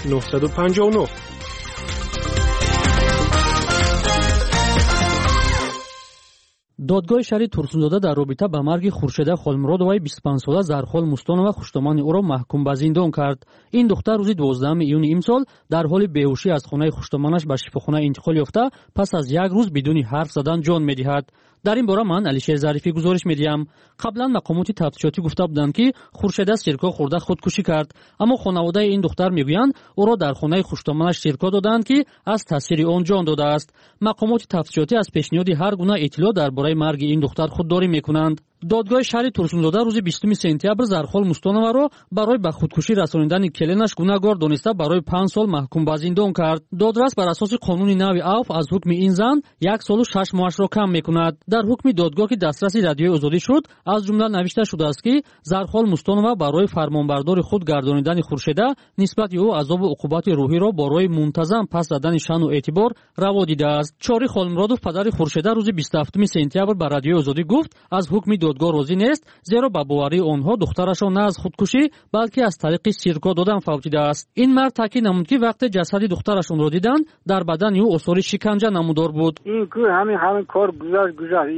959. Додгоҳи шаҳри Турсунзода дар робита ба марги Хуршеда Холмуродоваи 25-сола Зархол Мустонова хуштомани ӯро маҳкум ба зиндон кард. Ин духтар рӯзи 12 июни имсол дар ҳоли беҳушӣ аз хонаи хуштоманаш ба шифохона интиқол ёфта, пас аз як рӯз бидуни ҳарф задан ҷон медиҳад. Дар ин бора ман Алишер Зарифӣ гузориш медиҳам. Қаблан мақомоти тафтишотӣ гуфта буданд, ки Хуршеда сирко хӯрда худкушӣ кард, аммо хонаводаи ин духтар мегӯянд, ӯро дар хонаи хуштоманаш сирко додаанд, ки аз таъсири он ҷон додааст. Мақомоти тафтишотӣ аз пешниҳоди ҳар гуна иттилоъ дар бораи марги ин духтар худдорӣ мекунанд. Додгоҳи шаҳри Турсунзода рӯзи 20 сентябр Зархол Мустоноваро барои ба худкушӣ расонидани келинаш гунаҳгор дониста, барои 5 сол маҳкум ба зиндон кард. Додрас бар асоси қонуни нави авф аз ҳукми ин зан 1 солу 6 моҳашро кам мекунад. Дар ҳукми додгоҳ, ки дастраси Радиои Озодӣ шуд, аз ҷумла навишта шудааст, ки Зархол Мустонова барои фармонбардори худ гардонидани Хуршеда нисбати ӯ азобу уқубати рӯҳиро барои мунтазам пас задани шаъну эътибор раво дидааст. Чори Холмуродов, падари Хуршеда, рӯзи 27 сентябр ба Радиои Озодӣ гуфт, аз ҳукми додгоҳ розӣ нест, зеро ба боварии онҳо духтарашон на аз худкушӣ, балки аз тариқи сирко додан фавтидааст. Ин мард таъкид намуд, ки вақте ҷасади духтарашонро диданд, дар бадани ӯ осори шиканҷа намудор буд. Ин ку ҳамин кор гузашт.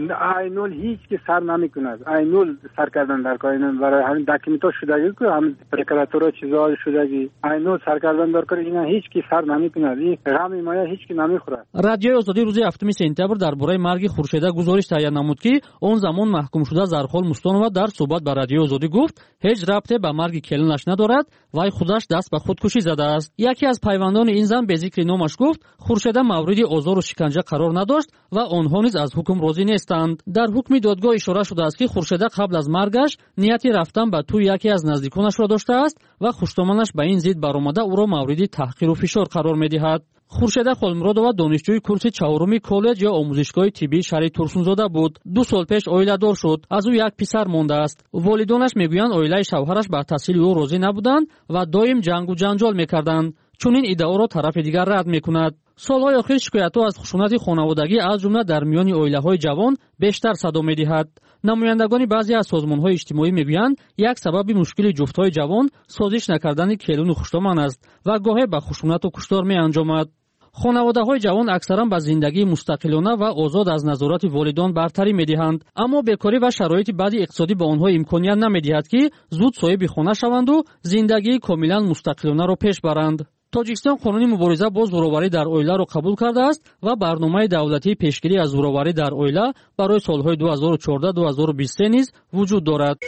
Ин айнол ҳеҷ ки сар намекунад. Айнол сар кардан дар кор, ин барои ҳамин документҳо шудагӣ ку, ҳамин прокуратура чизҳо шудагӣ. Айнол сар кардан дар кор, ина ҳеҷ ки сар намекунад. Ин ғами моя ҳеҷ ки намехӯрад. Радиои Озодӣ рӯзи 7 сентябр дар бораи марги Хуршеда гузориш таҳия намуд, ки он замон маҳкумшуда Зархол Мустонова дар суҳбат ба Радиои Озодӣ гуфт, ҳеҷ рабте ба марги келинаш надорад, вай худаш даст ба худкушӣ задааст. Яке аз пайвандони ин зан бе зикри номаш гуфт, Хуршеда мавриди озору шиканҷа қарор надошт ва онҳо низ аз ҳукм розӣ нестанд. Дар ҳукми додгоҳ ишора шудааст, ки Хуршеда қабл аз маргаш нияти рафтан ба тӯи яке аз наздиконашро доштааст ва хуштоманаш ба ин зид баромада ӯро мавриди таҳқиру фишор қарор медиҳад. Хуршеда Холмуродова донишҷӯи курси 4-уми коллеҷ ё омӯзишгоҳи тиббии шаҳри Турсунзода буд. 2 сол пеш оиладор шуд. Аз ӯ як писар мондааст. Волидонаш мегӯянд, оилаи шавҳараш ба таҳсили ӯ розӣ набуданд ва доим ҷангу ҷанҷол мекарданд. Чунин иддаоро тарафи дигар рад мекунад. Солҳои охир шикоятҳо аз хушунати хонаводагӣ, аз ҷумла дар миёни оилаҳои ҷавон, бештар садо медиҳад. Намояндагони баъзе аз созмонҳои иҷтимоӣ мегӯянд, як сабаби мушкили ҷуфтҳои ҷавон созиш накардани келину хуштоман аст ва гоҳе ба хушунату куштор меанҷомад. Хонаводаҳои ҷавон аксаран ба зиндагии мустақилона ва озод аз назорати волидон бартарӣ медиҳанд, аммо бекорӣ ва шароити баъди иқтисодӣ ба онҳо имконият намедиҳад, ки зуд соҳиби хона шаванду зиндагии комилан мустақилонаро пеш баранд. Тоҷикистон қонуни мубориза бо зӯроварӣ дар оиларо қабул кардааст ва барномаи давлатии пешгирӣ аз зӯроварӣ дар оила барои солҳои 2014-2023 низ вуҷуд дорад.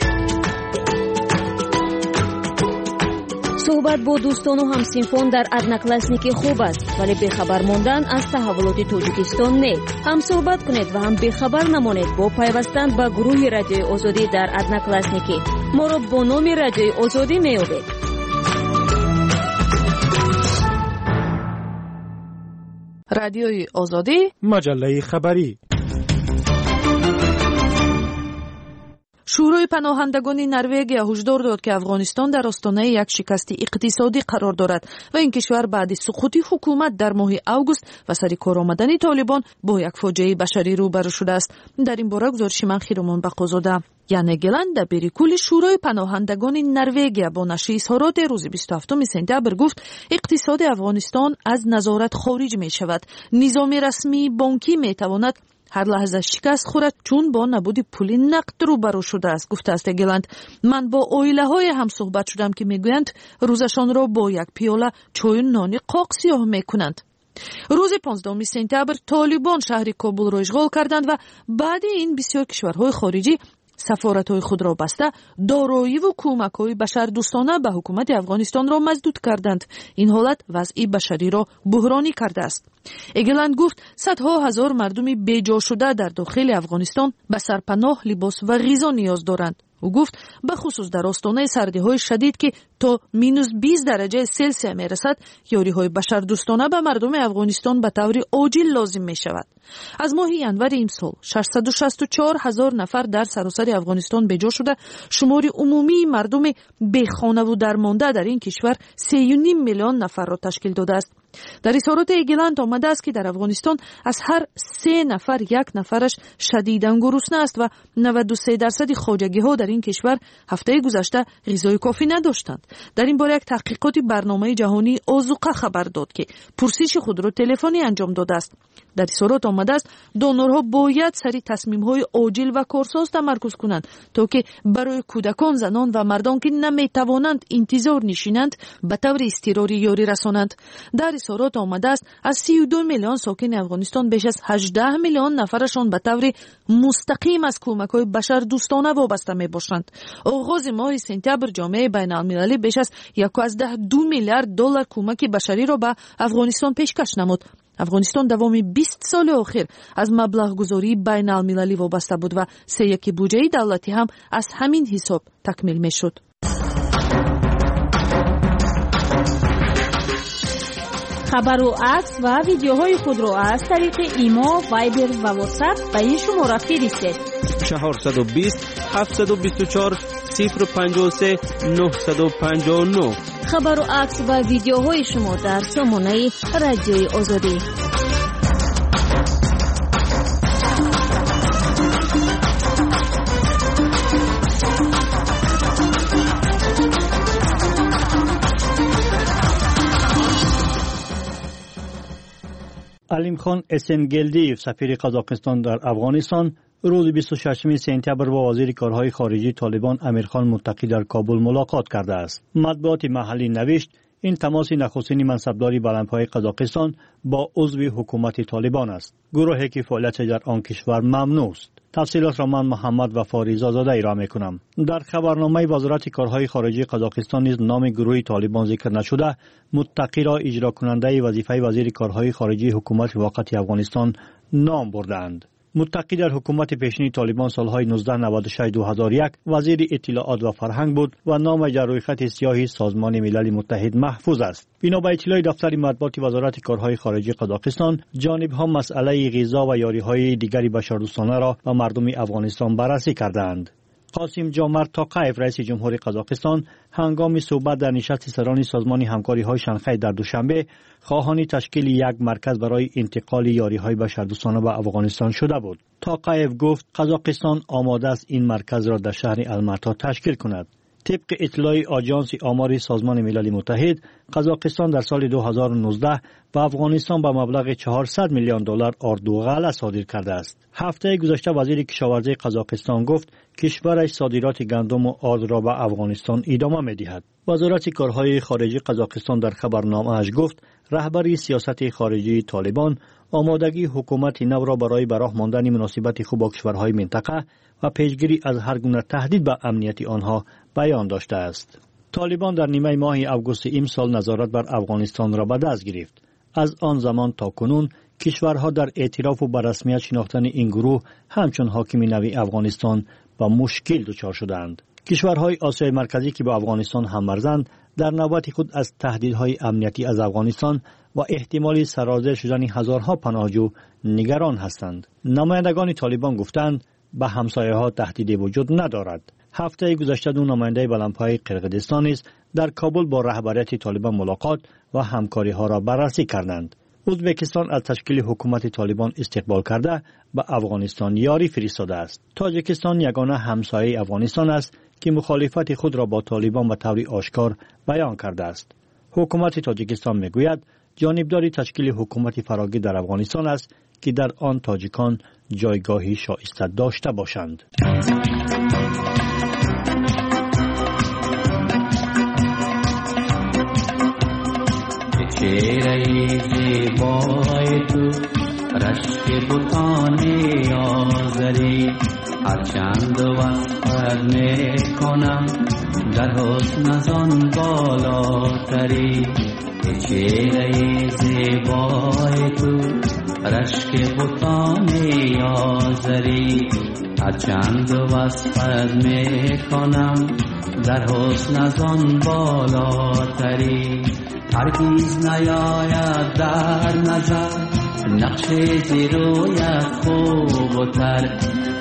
Суҳбат бо дӯстону ҳамсинфон дар Одноклассники хуб аст, вале бехабар мондан аз таҳаввулоти Тоҷикистон не. Ҳам суҳбат кунед ва ҳам бехабар намонед бо пайвастан ба гурӯҳи Радиои Озодӣ дар Одноклассники. Моро бо номи Радиои Озодӣ меёбед. Радиои Озодӣ, маҷаллаи хабарӣ. Шӯрои паноҳандагони Норвегия ҳушдор дод, ки Афғонистон дар остонаи як шикасти иқтисодӣ қарор дорад ва ин кишвар баъди суқути ҳукумат дар моҳи август ва сари кор омадани Толибон бо як фоҷиаи башарӣ рӯбарӯ шудааст. Дар ин бора гузориши ман Хиромон Бақозода. Яне Геланд, дабири кулли Шӯрои паноҳандагони Норвегия, бо нашри изҳороте рӯзи 27 сентябр гуфт, иқтисоди Афғонистон аз назорат хориҷ мешавад. Низоми расмии бонкӣ метавонад ҳар лаҳза шикаст хӯрад, чун бо набуди пули нақд рӯбарӯ шудааст, гуфтааст Эгеланд. Ман бо оилаҳое ҳам суҳбат шудам, ки мегӯянд рӯзашонро бо як пиёла чою нони қоқ сиёҳ мекунанд. Рӯзи 15 сентябр Толибон шаҳри Кобулро ишғол карданд ва баъди ин бисёр кишварҳои хориҷӣ сафоратҳои худро баста, дороиву кӯмакҳои башардӯстона ба ҳукумати Афғонистонро маздуд карданд. Ин ҳолат вазъи башариро буҳронӣ кардааст. Эгеланд гуфт, садҳо ҳазор мардуми беҷошуда дар дохили Афғонистон ба сарпаноҳ, либос ва ғизо ниёз доранд. Ӯ гуфт, бахусус дар остонаи сардиҳои шадид, ки то минус 20 дараҷаи Селсия мерасад, ёриҳои башардӯстона ба мардуми Афғонистон ба таври оҷил лозим мешавад. Аз моҳи январи имсол 664 ҳазор нафар дар саросари Афғонистон беҷо шуда, шумори умумии мардуми бехонаву дармонда дар ин кишвар 3,5 миллион нафарро ташкил додааст. Дар изҳороти Эгеланд омадааст, ки дар Афғонистон аз ҳар се нафар як нафараш шадидан гурусна аст ва 93% хоҷагиҳо дар ин кишвар ҳафтаи гузашта ғизои кофӣ надоштанд. Дар ин бора як таҳқиқоти барномаи ҷаҳонии озуқа хабар дод, ки пурсиши худро телефонӣ анҷом додааст. Дар изҳорот омадааст, донорҳо бояд сари тасмимҳои оҷил ва корсоз тамаркуз кунанд, то ки барои кӯдакон, занон ва мардон, ки наметавонанд интизор нишинанд, ба таври изтирорӣ ёрӣ расонанд. Дар изҳорот омадааст, аз 32 миллион сокини Афғонистон беш аз 18 миллион нафарашон ба таври мустақим аз кӯмакҳои башардӯстона вобаста мебошанд. Оғози моҳи сентябр ҷомеаи байналмилалӣ беш аз 1,2 миллиард доллар кӯмаки башариро ба Афғонистон пешкаш намуд. Афғонистон давоми 20 соли охир аз маблағгузории байналмилалӣ вобаста буд ва сеяки буҷаи давлатӣ ҳам аз ҳамин ҳисоб такмил мешуд. Хабару акс ва видеоҳои худро аз тариқи Имо, Вайбер ва Ватсап ба ин шумора фиристед: 420 724 053 959. Хабару акс ва видеоҳои шумо дар сомонаи Радиои Озодӣ. Алимхон Эсенгелдиев, сафири Қазоқистон дар Афғонистон, рӯзи 26 сентябр бо вазири корҳои хориҷии Толибон Амирхон Муттақӣ дар Кобул мулоқот кардааст. Матбуоти маҳаллӣ навишт, ин тамоси нахустини мансабдори баландпояи Қазоқистон бо узви ҳукумати Толибон аст, гурӯҳе ки фаъолияташ дар он кишвар мамнӯъ аст. Тафсилотро ман, Муҳаммад Вафо Ризозода, ироа мекунам. Дар хабарномаи Вазорати корҳои хориҷии Қазоқистон низ номи гурӯҳи Толибон зикр нашуда, Муттақиро иҷрокунандаи вазифаи вазири корҳои хориҷии ҳукумати муваққати Афғонистон ном бурдаанд. Муттақӣ дар ҳукумати пешини Толибон солҳои 1996-2001 вазири иттилоот ва фарҳанг буд ва номаш дар рӯйхати сиёҳи Созмони Милали Муттаҳид маҳфуз аст. Бино ба иттилои дафтари матбуоти Вазорати корҳои хориҷии Қазоқистон, ҷонибҳо масъалаи ғизо ва ёриҳои дигари башардӯстонаро ба мардуми Афғонистон баррасӣ кардаанд. Қосим Ҷомарт Тоқаев, раиси ҷумҳури Қазоқистон, ҳангоми суҳбат дар нишасти сарони Созмони ҳамкориҳои Шанхай дар Душанбе хоҳони ташкили як марказ барои интиқоли ёриҳои башардӯстона ба Афғонистон шуда буд. Тоқаев гуфт, Қазоқистон омода аст ин марказро дар шаҳри Алмато ташкил кунад. Тибқи иттилои Оҷонси омори Созмони Милали Муттаҳид, Қазоқистон дар соли 2019 ба Афғонистон ба маблағи 400 миллион доллар орду ғалла содир кардааст. Ҳафтаи гузашта вазири кишоварзии Қазоқистон гуфт, кишвараш содироти гандуму ордро ба Афғонистон идома медиҳад. Вазорати корҳои хориҷии Қазоқистон дар хабарномааш гуфт, раҳбари сиёсати хориҷии Толибон омодагии ҳукумати навро барои ба роҳ мондани муносибати хуб бо кишварҳои минтақа ва пешгирӣ аз ҳар гуна таҳдид ба амнияти онҳо баён доштааст. Толибон дар нимаи моҳи августи имсол назорат бар Афғонистонро ба даст гирифт. Аз он замон то кунун кишварҳо дар эътирофу ба расмият шинохтани ин гурӯҳ ҳамчун ҳокими нави Афғонистон ба мушкил дучор шудаанд. Кишварҳои Осиёи Марказӣ, ки бо Афғонистон ҳаммарзанд, дар навбати худ аз таҳдидҳои амниятӣ аз Афғонистон ва эҳтимоли сарозер шудани ҳазорҳо паноҳҷӯ нигарон ҳастанд. Намояндагони Толибон гуфтанд, ба ҳамсояҳо таҳдиде вуҷуд надорад. Ҳафтаи гузашта ду намояндаи баландпояи Қирғизистон низ дар Кобул бо раҳбарияти Толибон мулоқот ва ҳамкориҳоро баррасӣ карданд. Ӯзбекистон аз ташкили ҳукумати Толибон истиқбол карда, ба Афғонистон ёрӣ фиристодааст. Тоҷикистон ягона ҳамсояи Афғонистон аст, ки мухолифати худро бо Толибон ба таври ошкор баён кардааст. Ҳукумати Тоҷикистон мегӯяд, ҷонибдори ташкили ҳукумати фарогир дар Афғонистон аст, ки дар он тоҷикон ҷойгоҳи шоиста дошта бошанд. Чеҳраи зебои ту рашки бутони озарӣ, ҳарчанд васфат мекунам, дар ҳусн аз он болотарӣ. Чеҳраи зебои ту рашки бутони озарӣ, ҳарчанд васфат мекунам, дар ҳусн аз он болотарӣ. Ҳаргиз наёяд дар назар нақши зирӯят хубтар,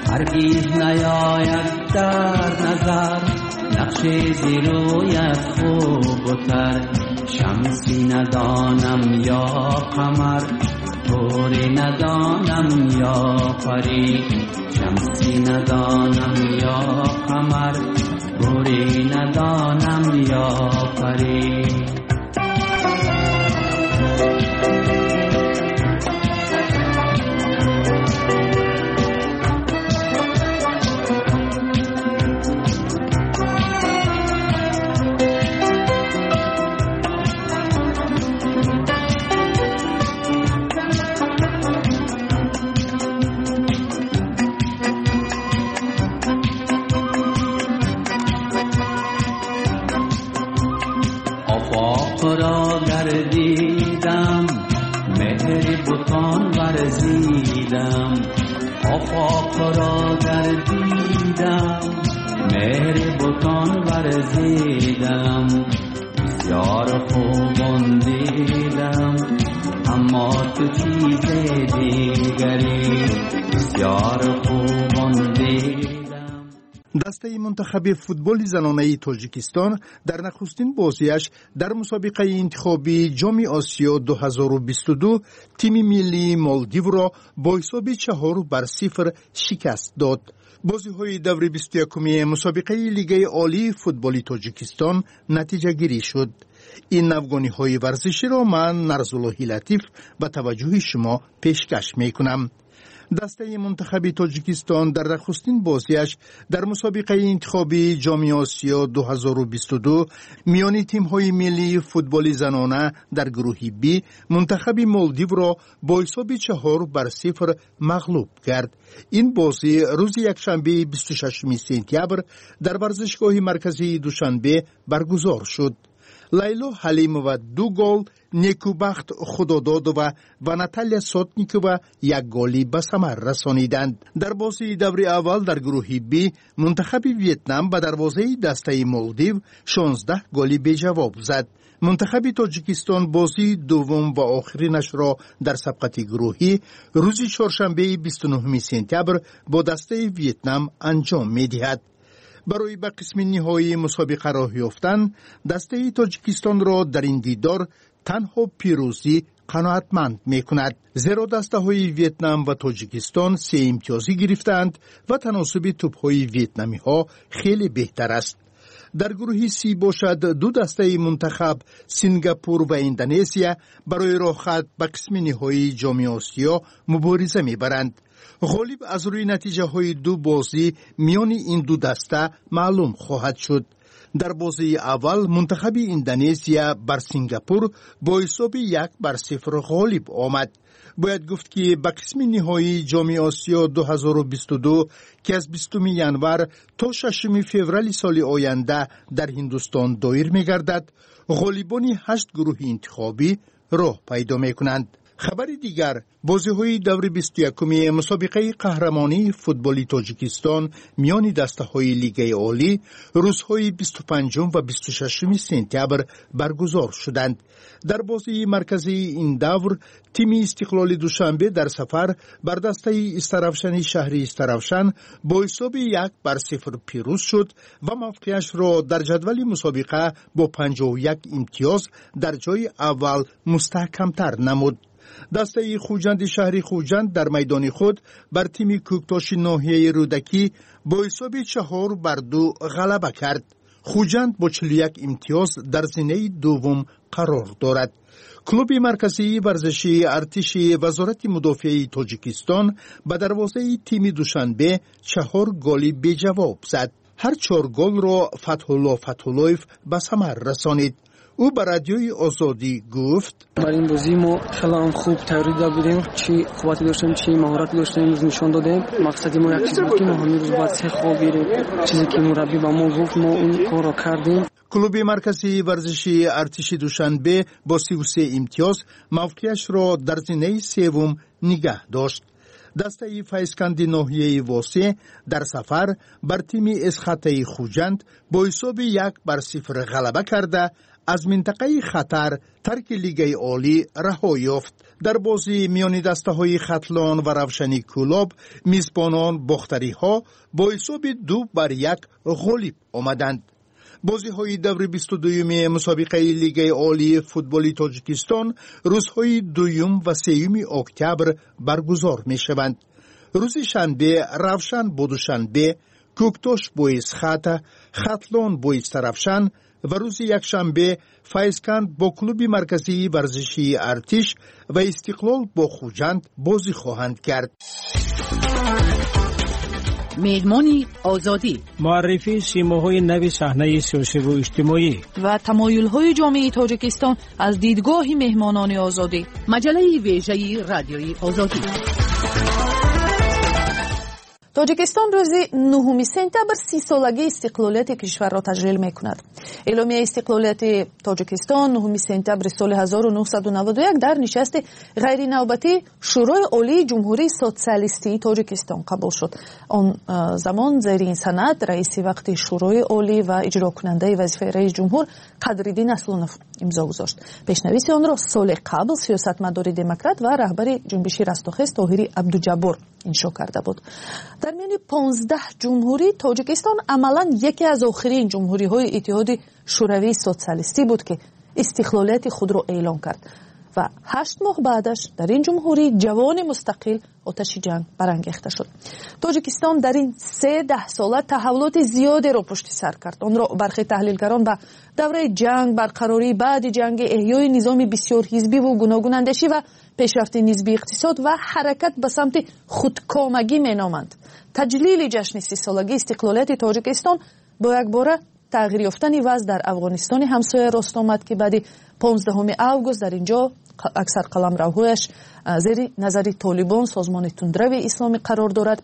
ҳаргиз наёяд дар назар нақши зирӯят хубтар. شمسی ندانم یا قمر، حوری ندانم یا پری. شمسی ندانم یا قمر، حوری ندانم یا پری. را گردیدم، مهر بتان ورزیدم. آفاق را گردیدم، مهر بتان ورزیدم. بسیار خوبان دیدم، اما تو چیز دیگری. بسیار خوبان دیدم. Дастаи мунтахаби футболи занонаи Тоҷикистон дар нахустин бозиаш дар мусобиқаи интихобии Ҷоми Осиё 2022 тими миллии Молдивро бо ҳисоби 4-0 шикаст дод. Бозиҳои даври 21-уми мусобиқаи Лигаи олии футболи Тоҷикистон натиҷагирӣ шуд. Ин навгониҳои варзиширо ман, Нарзуллоҳи Латиф, ба таваҷҷӯҳи шумо пешкаш мекунам. Дастаи мунтахаби Тоҷикистон дар нахустин бозиаш дар мусобиқаи интихобии Ҷоми Осиё 2022 миёни тимҳои миллии футболи занона дар гурӯҳи Б мунтахаби Молдивро бо ҳисоби 4-0 мағлуб кард. Ин бозӣ рӯзи якшанбеи 26 сентябр дар варзишгоҳи марказии Душанбе баргузор шуд. Лайло Ҳалимова ду гол, Некубахт Худододова ва Наталья Сотникова як голӣ ба самар расониданд. Дар бозии даври аввал дар гурӯҳи Б мунтахаби Вьетнам ба дарвозаи дастаи Молдив 16 голи беҷавоб зад. Мунтахаби Тоҷикистон бозии дуввум ва охиринашро дар сабқати гурӯҳӣ рӯзи чоршанбеи 29 сентябр бо дастаи Вьетнам анҷом медиҳад. Барои ба қисми ниҳоии мусобиқа роҳ ёфтан дастаи Тоҷикистонро дар ин дидор танҳо пирӯзӣ қаноатманд мекунад, зеро дастаҳои Вьетнам ва Тоҷикистон се имтиёзӣ гирифтаанд ва таносуби тӯбҳои вьетнамиҳо хеле беҳтар аст. Дар гурӯҳи Си бошад, ду дастаи мунтахаб, Сингапур ва Индонезия, барои роҳхат ба қисми ниҳоии Ҷоми Осиё мубориза мебаранд. Ғолиб аз рӯи натиҷаҳои ду бозӣ миёни ин ду даста маълум хоҳад шуд. Дар бозии аввал мунтахаби Индонезия бар Сингапур бо ҳисоби 1-0 ғолиб омад. Бояд гуфт, ки ба қисми ниҳоии Ҷоми Осиё 2022, ки аз 20 январ то 6 феврали соли оянда дар Ҳиндустон доир мегардад, ғолибони ҳашт гурӯҳи интихобӣ роҳ пайдо мекунанд. Хабари дигар: бозиҳои даври 21-уми мусобиқаи қаҳрамонии футболи Тоҷикистон миёни дастаҳои Лигаи олӣ рӯзҳои 25 ва 26 сентябр баргузор шуданд. Дар бозии марказии ин давр тими Истиқлоли Душанбе дар сафар бар дастаи Истаравшани шаҳри Истаравшан бо ҳисоби 1-0 пирӯз шуд ва мавқеашро дар ҷадвали мусобиқа бо 51 имтиёз дар ҷои аввал мустаҳкамтар намуд. Дастаи Хуҷанди шаҳри Хуҷанд дар майдони худ бар тими Кӯктоши ноҳияи Рӯдакӣ бо ҳисоби 4-2 ғалаба кард. Хуҷанд бо 41 имтиёз дар зинаи дуввум қарор дорад. Клуби марказии варзишии артиши Вазорати мудофиаи Тоҷикистон ба дарвозаи тими Душанбе чаҳор голи беҷавоб зад. Ҳар чор голро Фатҳулло Фатҳуллоев ба самар расонид. Ӯ ба Радиои Озодӣ гуфт: Бар ин бозӣ мо хеле ҳам хуб тайёрӣ дида будем. Чӣ қуввате доштем, чӣ маҳорате доштем, имрӯз нишон додем. Мақсади мо як чиз буд, ки мо ҳамин рӯз бояд се хол гирем. Чизе ки мураббӣ ба мо гуфт, мо он корро кардем. Клуби марказии варзишии артиши Душанбе бо 33 имтиёз мавқеашро дар зинаи севум нигаҳ дошт. Дастаи Файзканди ноҳияи Восеъ дар сафар бар тими Эсхатаи Хуҷанд бо ҳисоби 1-0 ғалаба карда, аз минтақаи хатар тарки Лигаи олӣ раҳо ёфт. Дар бозии миёни дастаҳои Хатлон ва Равшани Кӯлоб мизбонон бохтариҳо бо ҳисоби 2-1 ғолиб омаданд. Бозиҳои даври 22-юми мусобиқаи Лигаи олии футболи Тоҷикистон рӯзҳои 2 ва 3 октябр баргузор мешаванд. Рӯзи шанбе Равшан бо Душанбе, Кӯктош бо Исхата, Хатлон бо Истаравшан ва рӯзи якшанбе Файзканд бо клуби марказии варзишии Артиш ва Истиқлол бо Хуҷанд бозӣ хоҳанд кард. Меҳмони Озодӣ. Муаррифии симоҳои нави саҳнаи сиёсиву иҷтимоӣ ва тамоюлҳои ҷомеаи Тоҷикистон аз дидгоҳи меҳмонони Озодӣ. Маҷаллаи вежаи Радиои Озодӣ. Тоҷикистон рӯзи 9 сентябр 30-солагии истиқлолияти кишварро таҷлил мекунад. Эъломияи истиқлолияти Тоҷикистон 9 сентябри соли 1991 дар нишасти ғайринавбатии Шӯрои Олии Ҷумҳурии Социалистии Тоҷикистон қабул шуд. Он замон зери ин санад раиси вақти Шӯрои Олӣ ва иҷрокунандаи вазифаи раис ҷумҳур Қадриддин Аслонов имзо гузошт. Пешнависи онро соли қабл сиёсатмадори демократ ва раҳбари ҷунбиши Растохез Тоҳири Абдуҷаббор иншо карда буд. Дар миёни 15 ҷумҳурӣ Тоҷикистон амалан яке аз охирин ҷумҳуриҳои Иттиҳоди Шӯравии Социалистӣ буд, ки истиқлолияти худро эълон кард ва 8 моҳ баъдаш дар ин ҷумҳурии ҷавони мустақил оташи ҷанг барангехта шуд. Тоҷикистон дар ин се даҳсола таҳаввулоти зиёдеро пушти сар кард. Онро бархе таҳлилгарон ба давраи ҷанг, барқарории баъди ҷанги, эҳёи низоми бисёрҳизбиву гуногунандешӣ ва пешрафти нисбии иқтисод ва ҳаракат ба самти худкомагӣ меноманд. Таҷлили ҷашни 30-солагии истиқлолияти Тоҷикистон бо якбора тағйир ёфтани вазъ дар Афғонистони ҳамсоя рост омад, ки баъди 15 август дар ин ҷо аксар қаламравҳояш зери назари Толибон, созмони тундрави исломӣ, қарор дорад.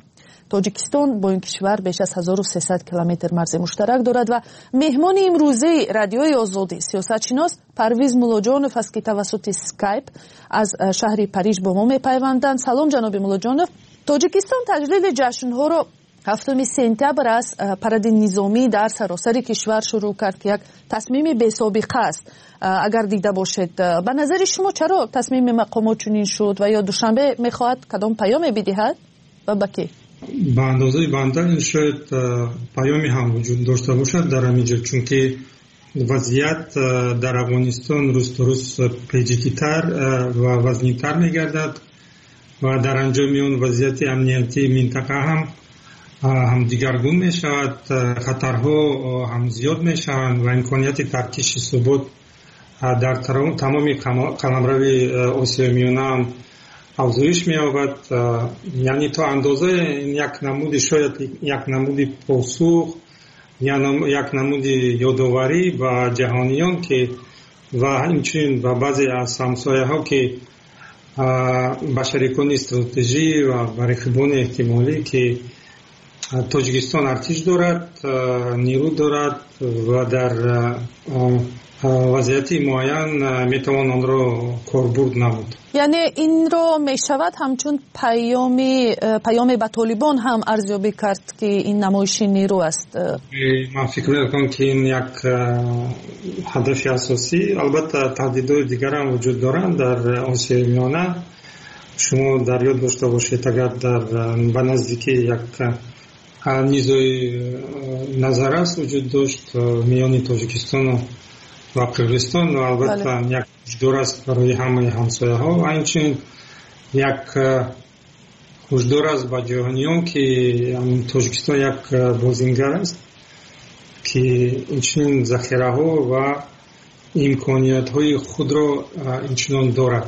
Тоҷикистон бо ин кишвар беш аз 1300 километр марзи муштарак дорад ва меҳмони имрӯзаи Радиои Озодӣ сиёсатшинос Парвиз Муллоҷонов аст, ки тавассути Скайп аз шаҳри Париж бо мо мепайванданд. Салом, ҷаноби Муллоҷонов. Тоҷикистон таҷлили ҷашнҳоро 7 сентябр аз паради низомӣ дар саросари кишвар шурӯъ кард, ки як тасмими бесобиқа аст. Агар дида бошед, ба назари шумо чаро тасмими мақомот чунин шуд ва ё Душанбе мехоҳад кадом паёме бидиҳад ва ба кӣ? Ба андозаи банда ин шояд паёме ҳам вуҷуд дошта бошад дар ҳамин ҷо, чунки вазъият дар Афғонистон рӯз то рӯз печидитар ва вазнинтар мегардад ва дар анҷоми он вазъияти амниятии минтақа ҳам дигаргун мешавад, хатарҳо ҳам зиёд мешаванд ва имконияти таркиши субот дар тамоми қаламрави Осиёи Миёна ҳам афзоиш меёбад. Яъне то андозае як намуди, шояд як намуди посух, як намуди ёдоварӣ ба ҷаҳониён ки ва инчунин ба баъзе аз ҳамсояҳо, ки ба шарикони стратежӣ ва ба рақибони эҳтимолӣ, ки Тоҷикистон артиш дорад, нерӯ дорад ва дар вазъияти муайян метавон онро корбурд намуд. Яъне инро мешавад ҳамчун паёме ба Толибон ҳам арзёбӣ кард, ки ин намоиши нерӯ аст? Ман фикр мекунам, ки ин як ҳадафи асосӣ. Албатта, таҳдидҳои дигар ҳам вуҷуд доранд дар Осиёи Миёна. Шумо дар ёд дошта бошед, агар дар ба наздикӣ як низои назаррас вуҷуд дошт миёни Тоҷикистону ва Қирғизистон ва албатта як ҳушдор аст барои ҳамаи ҳамсояҳо ва инчунин як ҳушдор аст ба ҷаҳониён, ки Тоҷикистон як бозингар аст, ки инчунин захираҳо ва имкониятҳои худро инчунон дорад.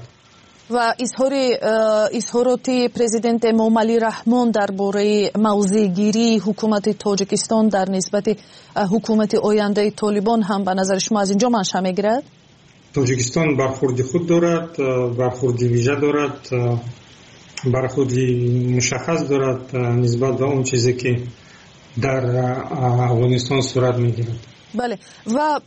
Ва изҳороти президент Эмомалӣ Раҳмон дар бораи мавзеъгирии ҳукумати Тоҷикистон дар нисбати ҳукумати ояндаи Толибон ҳам ба назари шумо аз инҷо манша мегирад? Тоҷикистон бархурди худ дорад, бархурди вижа дорад, бархурди мушаххас дорад нисбат ба он чизе, ки дар Афғонистон сурат мегирад. Бале, ва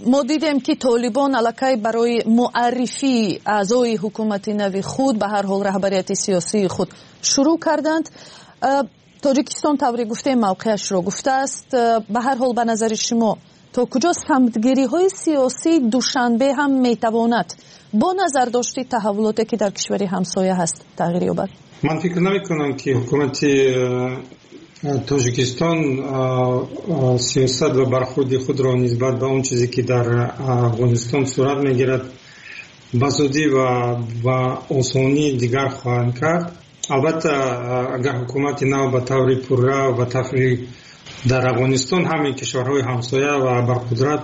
мо дидем, ки Толибон аллакай барои муаррифии аъзои ҳукумати нави худ, ба ҳар ҳол раҳбарияти сиёсии худ, шурӯъ карданд. Тоҷикистон, тавре гуфтем, мавқеашро гуфтааст. Ба ҳар ҳол, ба назари шумо, то куҷо самтгириҳои сиёсии Душанбе ҳам метавонад бо назардошти таҳаввулоте, ки дар кишвари ҳамсоя ҳаст, тағйир ёбад? Ман фикр намекунам, ки ҳукумати Тоҷикистон сиёсат ва бархӯрди худро нисбат ба он чизе ки дар Афғонистон сурат мегирад ба зудӣ ва ба осонӣ дигар хоҳанд кард. Албатта, агар ҳукумати нав ба таври пурра ва таври дар Афғонистон ҳамин кишварҳои ҳамсоя ва барқудрат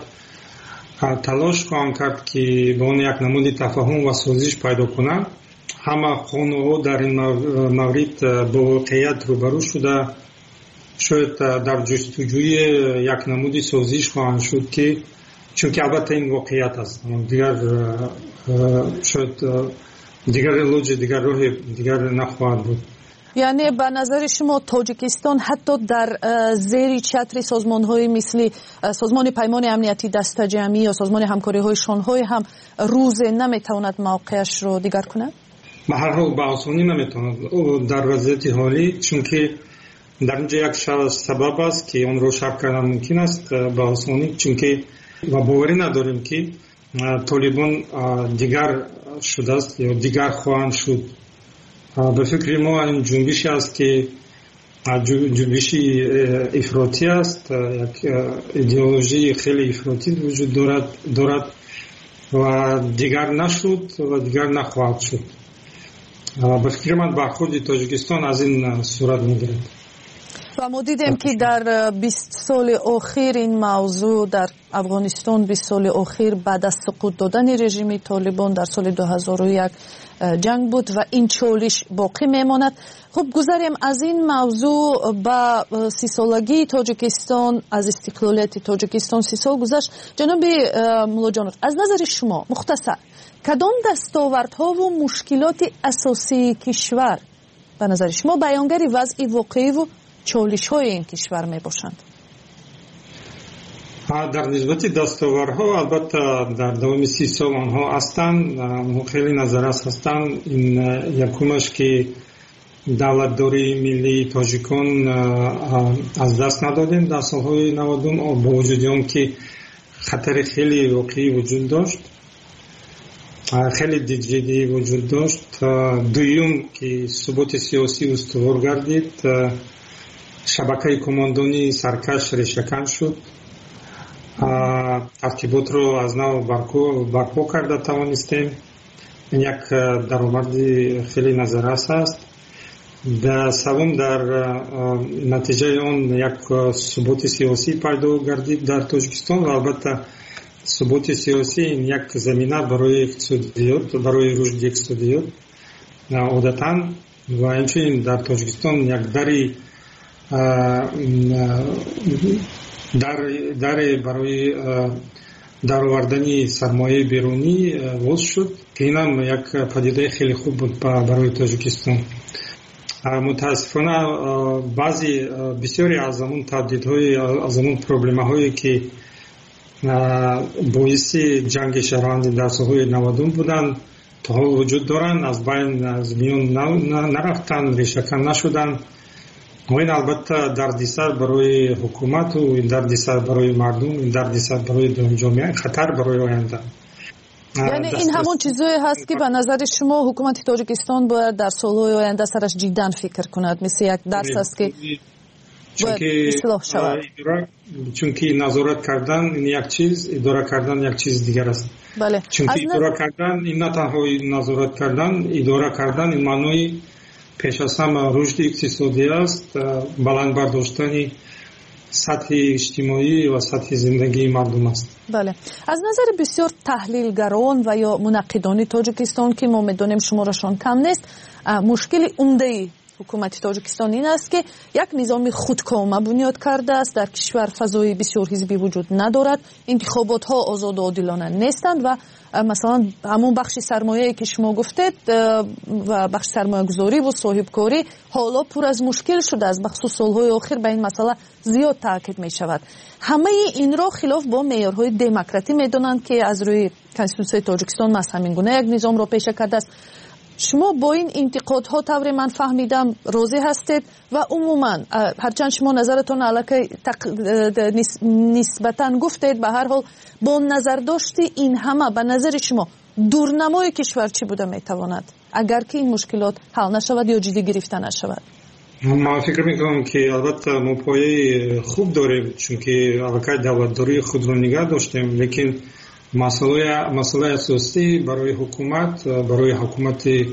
талош хоҳанд кард ки ба он як намуди тафоҳум ва созиш пайдо кунанд. Ҳама қонунҳо дар ин маврид бо воқеият рӯбарӯ шуда, шояд дар ҷустуҷӯи як намуди созиш хоҳанд шуд, ки чунки албатта ин воқеият аст, дигар шояд дигар илоҷи дигар роҳи дигар нахоҳад буд. Яъне ба назари шумо Тоҷикистон ҳатто дар зери чатри созмонҳои мисли Созмони Паймони Амнияти Дастаҷамъӣ ё Созмони Ҳамкориҳои Шонҳой ҳам рӯзе наметавонад мавқеашро дигар кунад? Ба ҳар ҳол ба осонӣ наметавонад дар вазъияти ҳолӣ, чунки дар инҷо як сабаб аст ки онро шарҳ кардан мумкин аст ба осонӣ, чунки ва боварӣ надорем ки Толибон дигар шудааст ё дигар хоҳанд шуд. Ба фикри мо ин ҷунбише аст ки ҷунбиши ифротӣ аст, як идеологияи хеле ифротӣ вуҷуд дорад ва дигар нашуд ва дигар нахоҳад шуд. Ба фикри ман бархӯрди Тоҷикистон аз ин сурат мегирад. Ва мо дидем ки дар 20 соли охир ин мавзӯъ дар Афғонистон, 20 соли охир баъд аз суқут додани режими Толибон дар соли 2001 ҷанг буд ва ин чолиш боқӣ мемонад. Хуб, гузарем аз ин мавзӯъ ба 30-солагии Тоҷикистон. Аз истиқлолияти Тоҷикистон 30 сол гузашт. Ҷаноби Муллоҷонов, аз назари шумо мухтасар кадом дастовардҳову мушкилоти асосии кишвар ба назари шумо баёнгари вазъи воқеиву чолишҳои ин кишвар мебошанд? Дар нисбати дастовардҳо, албатта, дар давоми 30 сол онҳо ҳастанд, онҳо хеле назаррас ҳастанд. Ин якумаш ки давлатдории миллии тоҷикон аз даст надодем дар солҳои 90, бо вуҷуди он ки хатари хеле воқеӣ вуҷуд дошт, хеле ҷиддӣ вуҷуд дошт. Дуюм ки суботи сиёсӣ устувор гардид, шабакаи командонии саркаш решакан шуд, тартиботро аз нав барпо карда тавонистем. Ин як даромади хеле назаррас аст. Севум, дар натиҷаи он як суботи сиёсӣ пайдо гардид дар Тоҷикистон ва албатта суботи сиёсӣ ин як замина барои иқтисодиёт, барои рушди иқтисодиёт одатан, ва инчунин дар Тоҷикистон як даре барои даровардани сармояи берунӣ боз шуд, ки инам як падидаи хеле хуб буд барои Тоҷикистон. Мутаассифона, баъзе бисёре аз ҳамон таҳдидҳои, аз ҳамон проблемаҳое ки боиси ҷанги шаҳрвандӣ дар солҳои 90 буданд, то ҳол вуҷуд доранд, аз байн, аз миён нарафтанд, решакан нашуданд. Ва ин албатта дардисар барои ҳукумату, ин дардисар барои мардум, ин дардисар барои ҷомеа, хатар барои оянда. Яъне ин ҳамон чизое ҳаст ки ба назари шумо ҳукумати Тоҷикистон бояд дар солҳои оянда сараш ҷиддан фикр кунад, мисли як дарс аст ки бояд ислоҳ шавад. Чунки назорат кардан ин як чиз, идора кардан як чиз дигар аст. Чунки идора кардан ин на танҳо назорат кардан, идора кардан ин маънои пеш аз ҳама рушди иқтисодӣ аст, баланд бардоштани сатҳи иҷтимоӣ ва сатҳи зиндагии мардум аст. Бале, аз назари бисёр таҳлилгарон ва ё мунаққидони Тоҷикистон, ки мо медонем шуморашон кам нест, мушкили умдаи ҳукумати Тоҷикистон ин аст ки як низоми худкома бунёд кардааст. Дар кишвар фазои бисёрҳизбӣ вуҷуд надорад, интихоботҳо озоду одилона нестанд ва масалан ҳамон бахши сармояе ки шумо гуфтед ва бахши сармоягузорӣ ва соҳибкорӣ ҳоло пур аз мушкил шудааст. Бахусус солҳои охир ба ин масъала зиёд таъкид мешавад. Ҳамаи инро хилоф бо меъёрҳои демократӣ медонанд ки аз рӯи Конститутсияи Тоҷикистон маҳз ҳамин гуна як низомро пеша кардааст. Шумо бо ин интиқодҳо, тавре ман фаҳмидам, розӣ ҳастед ва умуман ҳарчанд шумо назаратон аллакай нисбатан гуфтед, ба ҳар ҳол бо назардошти ин ҳама ба назари шумо дурнамои кишвар чӣ буда метавонад, агар ки ин мушкилот ҳал нашавад ё ҷиддӣ гирифта нашавад? Ман фикр мекунам, ки албатта мо пояи хуб дорем, чунки аллакай давлатдории худро нигаҳ доштем, лекин масъалаи асосӣ барои ҳукумат, барои ҳукумати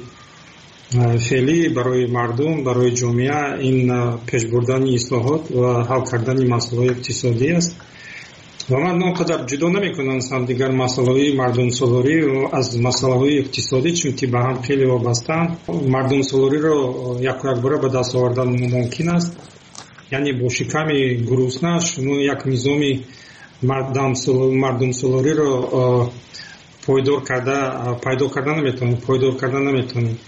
феълӣ, барои мардум, барои ҷомеа ин пешбурдани ислоҳот ва ҳал кардани масъалаҳои иқтисодӣ аст. Ва ман он қадар ҷудо намекунам дигар масъалаҳои мардумсолорӣ аз масъалаҳои иқтисодӣ, чунки ба ҳам хеле вобастаанд. Мардумсолориро яку якбора ба даст овардан мумкин аст, яъне бо шиками гурусна шумо як низоми мардумсолориро пойдор карда пайдо карда наметавонед, пойдор карда наметавонед.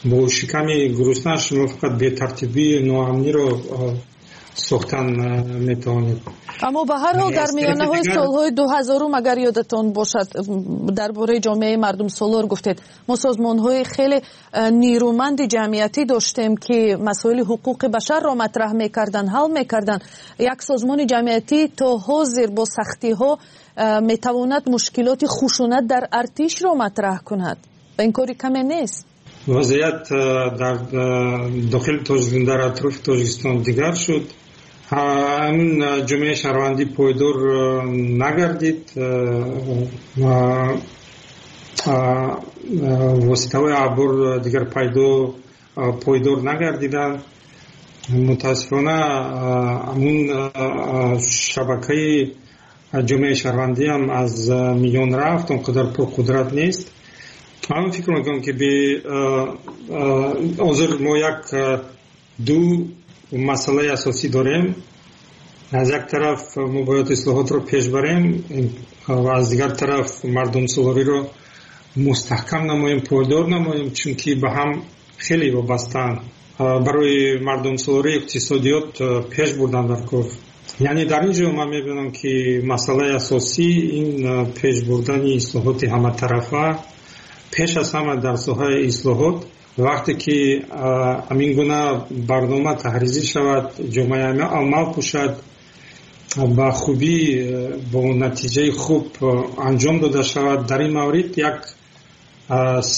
Бо шиками гурусна шумо фақат бетартибӣ, ноамниро сохтан метавонед. Аммо ба ҳар ҳол дар миёнаҳои солҳои 2000-ум, агар ёдатон бошад, дар бораи ҷомеаи мардумсолор гуфтед, мо созмонҳои хеле нерӯманди ҷамъиятӣ доштем, ки масоили ҳуқуқи башарро матраҳ мекарданд, ҳал мекарданд. Як созмони ҷамъиятӣ то ҳозир бо сахтиҳо метавонад мушкилоти хушунат дар артишро матраҳ кунад ва ин кори каме нест. Вазъият дар дохили Тоҷикистон, дар атрофи Тоҷикистон дигар шуд. Ҳамин ҷомеаи шаҳрвандӣ пойдор нагардид. Воситаҳои ахбор дигар пойдор нагардиданд. Мутаассифона, ҳамун шабакаи ҷомеаи шаҳрвандӣ ҳам аз миён рафт, он қадар пурқудрат нест. Ман фикр мекунам, ки ҳозир мо як ду масъалаи асосӣ дорем. Аз як тараф мо бояд ислоҳотро пеш барем ва аз дигар тараф мардумсолориро мустаҳкам намоем, пойдор намоем, чунки ба ҳам хеле вобастаанд. Барои мардумсолорӣ иқтисодиёт пеш бурдан дар кор. Яъне дар ин ҷо ман мебинам, ки масъалаи асосӣ ин пеш бурдани ислоҳоти ҳаматарафа, пеш аз ҳама дар соҳаи ислоҳот. Вақте ки ҳамин гуна барнома таҳризӣ шавад, ҷомеаи амал пӯшад, ба хубӣ, бо натиҷаи хуб анҷом дода шавад, дар ин маврид як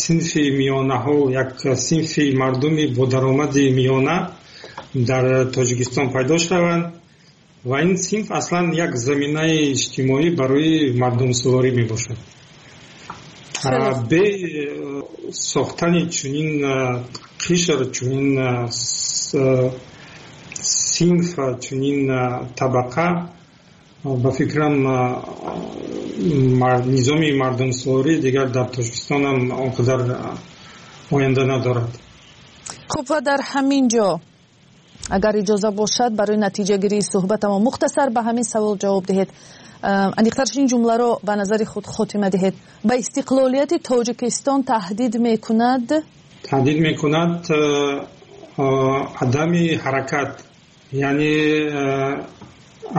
синфи миёнаҳо, як синфи мардуми бо даромади миёна дар Тоҷикистон пайдо шаванд ва ин синф аслан як заминаи иҷтимоӣ барои мардумсолорӣ мебошад. Бе сохтани чунин қишр, чунин синф, чунин табақа, ба фикрам, низоми мардумсолорӣ дигар дар Тоҷикистон ҳам он қадар оянда надорад. Хуб, ва дар ҳамин ҷо, агар иҷоза бошад, барои натиҷагирии суҳбатамо мухтасар ба ҳамин савол ҷавоб диҳед, аниқтарш ин ҷумларо ба назари худ хотима диҳед: ба истиқлолияти Тоҷикистон таҳдид мекунад? Таҳдид мекунад адами ҳаракат, яъне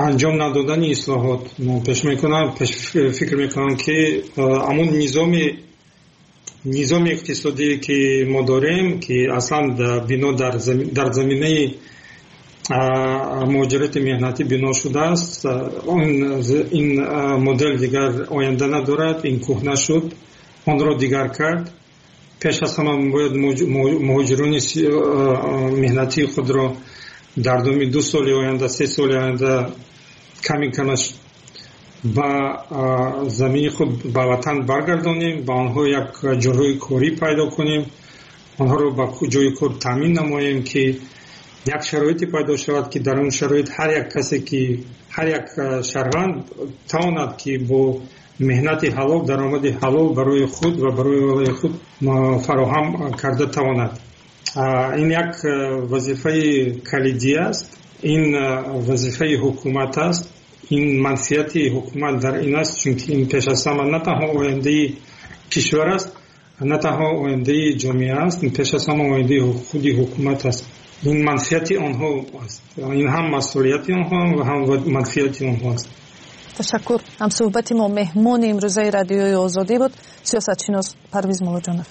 анҷом надодани ислоҳот. Пеш мекунам, пеш фикр мекунам, ки ҳамун низоми иқтисодие, ки мо дорем, ки аслан бино дар заминаи муҳоҷирати меҳнатӣ бино шудааст, ин модел дигар оянда надорад, ин кӯҳна шуд, онро дигар кард. Пеш аз ҳама бояд муҳоҷирони меҳнатии худро дар думи 2 соли оянда, 3 соли оянда ками камаш ба замини худ, ба ватан баргардонем, ба онҳо як ҷойҳои корӣ пайдо кунем, онҳоро ба ҷои кор таъмин намоем, ки як шароите пайдо шавад, ки дар он шароит ҳар як касе, ки ҳар як шаҳрванд тавонад, ки бо меҳнати ҳалол даромади ҳалол барои худ ва барои оилаи худ фароҳам карда тавонад. Ин як вазифаи калидӣ аст, ин вазифаи ҳукумат аст, ин манфиати ҳукумат дар ин аст, чунки ин пеш аз ҳама на танҳо ояндаи кишвар аст, на танҳо ояндаи ҷомеа аст, ин пеш аз ҳама ояндаи худи ҳукумат аст. Ин манфиати онҳо аст, ин ҳам масъулияти онҳо ва ҳам манфиати онҳо аст. Ташаккур. Ҳамсуҳбати мо, меҳмони имрӯзаи Радиои Озодӣ буд сиёсатшинос Парвиз Муллоҷонов.